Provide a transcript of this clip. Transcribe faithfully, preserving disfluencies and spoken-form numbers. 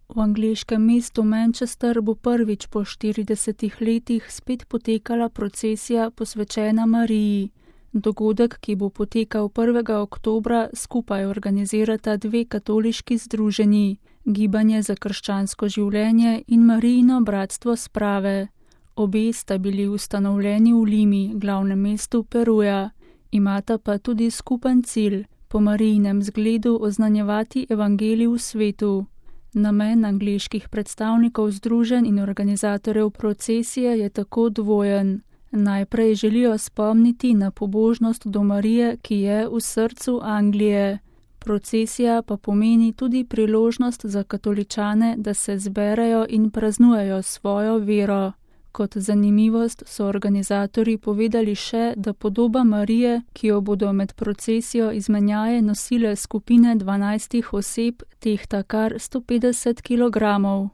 V angleškem mestu Manchester bo prvič po štiridesetih letih spet potekala procesija posvečena Mariji. Dogodek, ki bo potekal prvega oktobra, skupaj organizirata dve katoliški združenji, Gibanje za krščansko življenje in Marijino bratstvo sprave. Obe sta bili ustanovljeni v Limi, glavnem mestu Peruja. Imata pa tudi skupen cilj, po Marijinem zgledu oznanjevati evangelij v svetu. Namen angleških predstavnikov združenj in organizatorjev procesije je tako dvojen. Najprej želijo spomniti na pobožnost do Marije, ki je v srcu Anglije. Procesija pa pomeni tudi priložnost za katoličane, da se zberejo in praznujejo svojo vero. Kot zanimivost so organizatorji povedali še, da podoba Marije, ki jo bodo med procesijo izmenjaje nosile skupine dvanajstih oseb, tehta kar sto petdeset kilogramov.